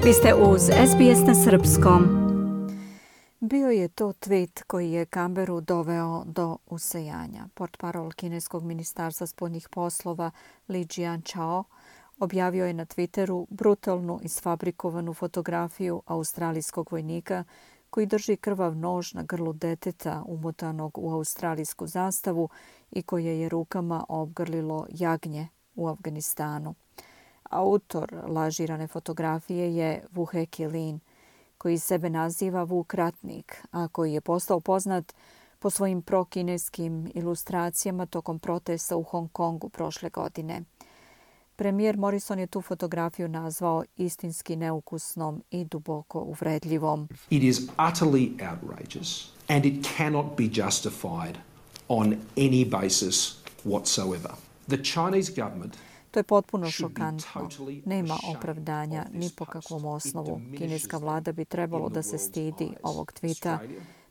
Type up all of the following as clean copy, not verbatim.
Vi ste uz SBS na srpskom. Bio je to tweet koji je Canberru doveo do usejanja. Portparol kineskog ministarstva spoljnih poslova Li Jianchao objavio je na Twitteru brutalnu isfabrikovanu fotografiju australijskog vojnika koji drži krvav nož na grlu deteta umotanog u australijsku zastavu i koje je rukama obgrlilo jagnje u Afganistanu. Autor lažirane fotografije je Vuheki Lin, koji sebe naziva Vuk ratnik, a koji je postao poznat po svojim prokineskim ilustracijama tokom protesta u Hong Kongu prošle godine. Premijer Morrison je tu fotografiju nazvao istinski neukusnom i duboko uvredljivom. It is utterly outrageous and it cannot be justified on any basis whatsoever. The Chinese government To je potpuno šokantno. Nema opravdanja ni po kakvom osnovu. Kineska vlada bi trebalo da se stidi ovog tvita.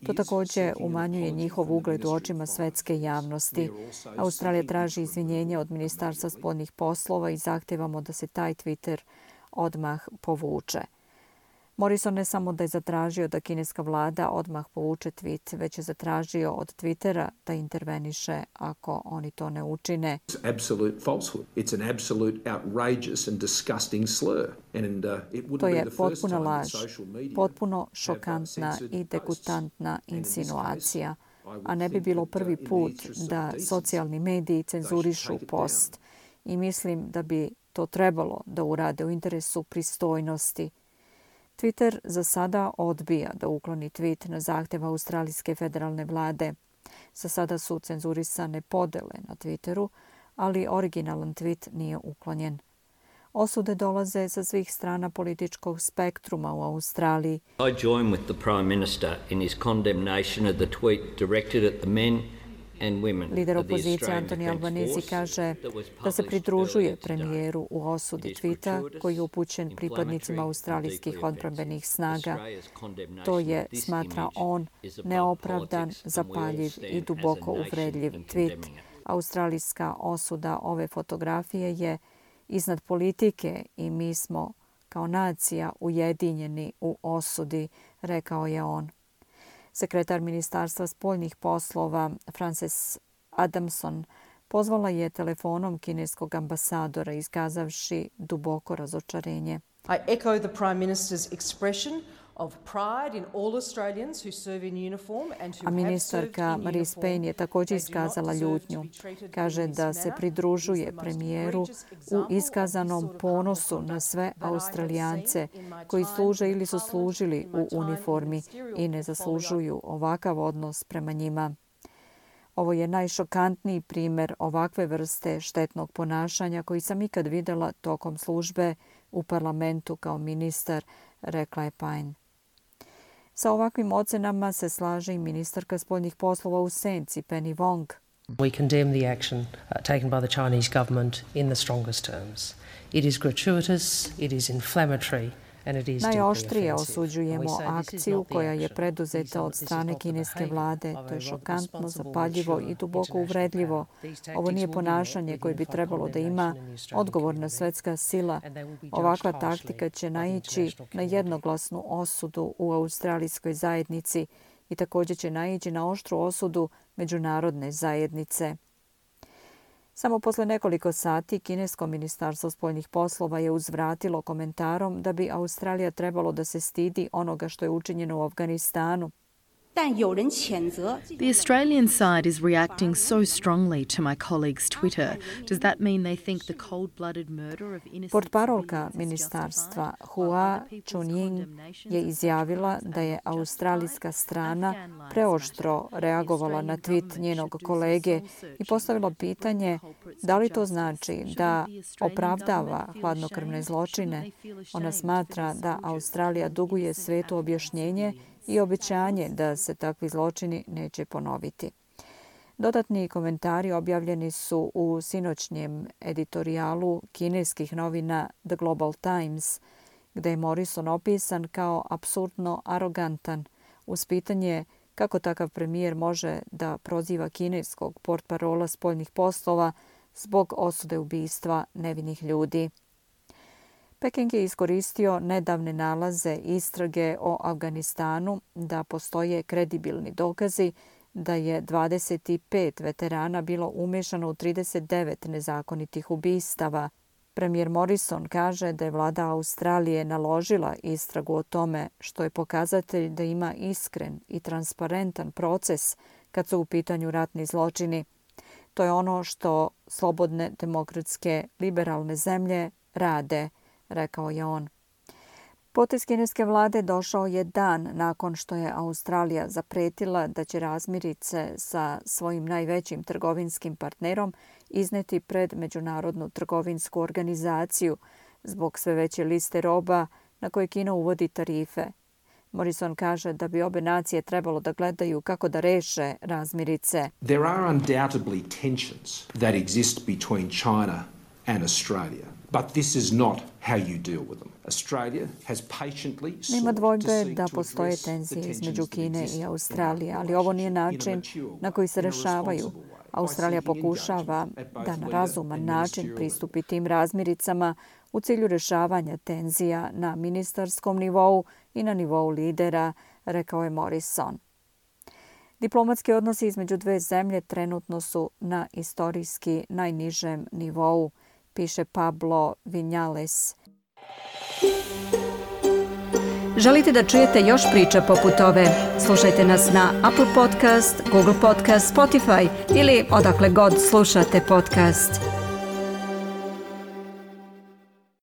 To također umanjuje njihov ugled u očima svetske javnosti. Australija traži izvinjenje od Ministarstva spoljnih poslova i zahtevamo da se taj Twitter odmah povuče. Morrison ne samo da je zatražio da kineska vlada odmah povuče tweet, već je zatražio od Twittera da interveniše ako oni to ne učine. To je potpuna laž, potpuno šokantna i degutantna insinuacija, a ne bi bilo prvi put da socijalni mediji cenzurišu post. I mislim da bi to trebalo da urade u interesu pristojnosti. Twitter za sada odbija da ukloni tweet na zahtjev australijske federalne vlade. Za sada su cenzurisane podele na Twitteru, ali originalan tweet nije uklonjen. Osude dolaze sa svih strana političkog spektruma u Australiji. I join with the Prime Minister in his condemnation of the tweet directed at the men. Lider opozicije Anthony Albanese kaže da se pridružuje premijeru u osudi tvita koji je upućen pripadnicima australijskih odbrambenih snaga. To je, smatra on, neopravdan, zapaljiv i duboko uvredljiv tvit. Australijska osuda ove fotografije je iznad politike i mi smo kao nacija ujedinjeni u osudi, rekao je on. Sekretar Ministarstva spoljnih poslova Frances Adamson pozvala je telefonom kineskog ambasadora iskazavši duboko razočarenje. I echo the Prime Minister's expression of pride in all Australians who serve in uniform and who A ministarka Marie Payne je također iskazala ljutnju. Kaže da se pridružuje premijeru u iskazanom ponosu na sve Australijance koji služe ili su služili u uniformi i ne zaslužuju ovakav odnos prema njima. Ovo je najšokantniji primjer ovakve vrste štetnog ponašanja koji sam ikad vidjela tokom službe u parlamentu kao ministar, rekla je Payne. Sa ovakvim ocenama se slaže i ministarka spoljnih poslova u senci, Penny Wong. We condemn the action taken by the Chinese government in the strongest terms. It is gratuitous, it is inflammatory. Najoštrije osuđujemo akciju koja je preduzeta od strane kineske vlade. To je šokantno, zapaljivo i duboko uvredljivo. Ovo nije ponašanje koje bi trebalo da ima odgovorna svetska sila. Ovakva taktika će naići na jednoglasnu osudu u australijskoj zajednici i također će naići na oštru osudu međunarodne zajednice. Samo posle nekoliko sati kinesko ministarstvo spoljnih poslova je uzvratilo komentarom da bi Australija trebalo da se stidi onoga što je učinjeno u Afganistanu. The Australian side is reacting so strongly to my colleague's Twitter. Does that mean they think the cold-blooded murder of innocent... Portparolka ministarstva Hua Chunying je izjavila da je australijska strana preoštro reagovala na tweet njenog kolege i postavila pitanje da li to znači da opravdava hladnokrvne zločine. Ona smatra da Australija duguje svetu objašnjenje i obećanje da se takvi zločini neće ponoviti. Dodatni komentari objavljeni su u sinoćnjem editorijalu kineskih novina The Global Times, gde je Morrison opisan kao apsurdno arogantan uz pitanje kako takav premijer može da proziva kineskog portparola spoljnih poslova zbog osude ubistva nevinih ljudi. Peking je iskoristio nedavne nalaze istrage o Afganistanu da postoje kredibilni dokazi da je 25 veterana bilo umešano u 39 nezakonitih ubistava. Premijer Morrison kaže da je vlada Australije naložila istragu o tome, što je pokazatelj da ima iskren i transparentan proces kad su u pitanju ratni zločini. To je ono što slobodne, demokratske, liberalne zemlje rade, rekao je on. Potez kineske vlade došao je dan nakon što je Australija zapretila da će razmirice sa svojim najvećim trgovinskim partnerom izneti pred Međunarodnu trgovinsku organizaciju zbog sve veće liste roba na koje Kina uvodi tarife. Morrison kaže da bi obe nacije trebalo da gledaju kako da reše razmirice. There are undoubtedly tensions that exist between China and Australia. But this is not how you deal with them. Australia has patiently Nema dvojbe da postoje tenzije između Kine i Australije, ali ovo nije način na koji se rešavaju. Australija pokušava da na razuman način pristupi tim razmiricama u cilju rešavanja tenzija na ministarskom nivou i na nivou lidera, rekao je Morrison. Diplomatski odnosi između dve zemlje trenutno su na istorijski najnižem nivou, piše Pablo Vinales. Želite da čujete još priča poput ove? Slušajte nas na Apple Podcast, Google Podcast, Spotify ili odakle god slušate podcast.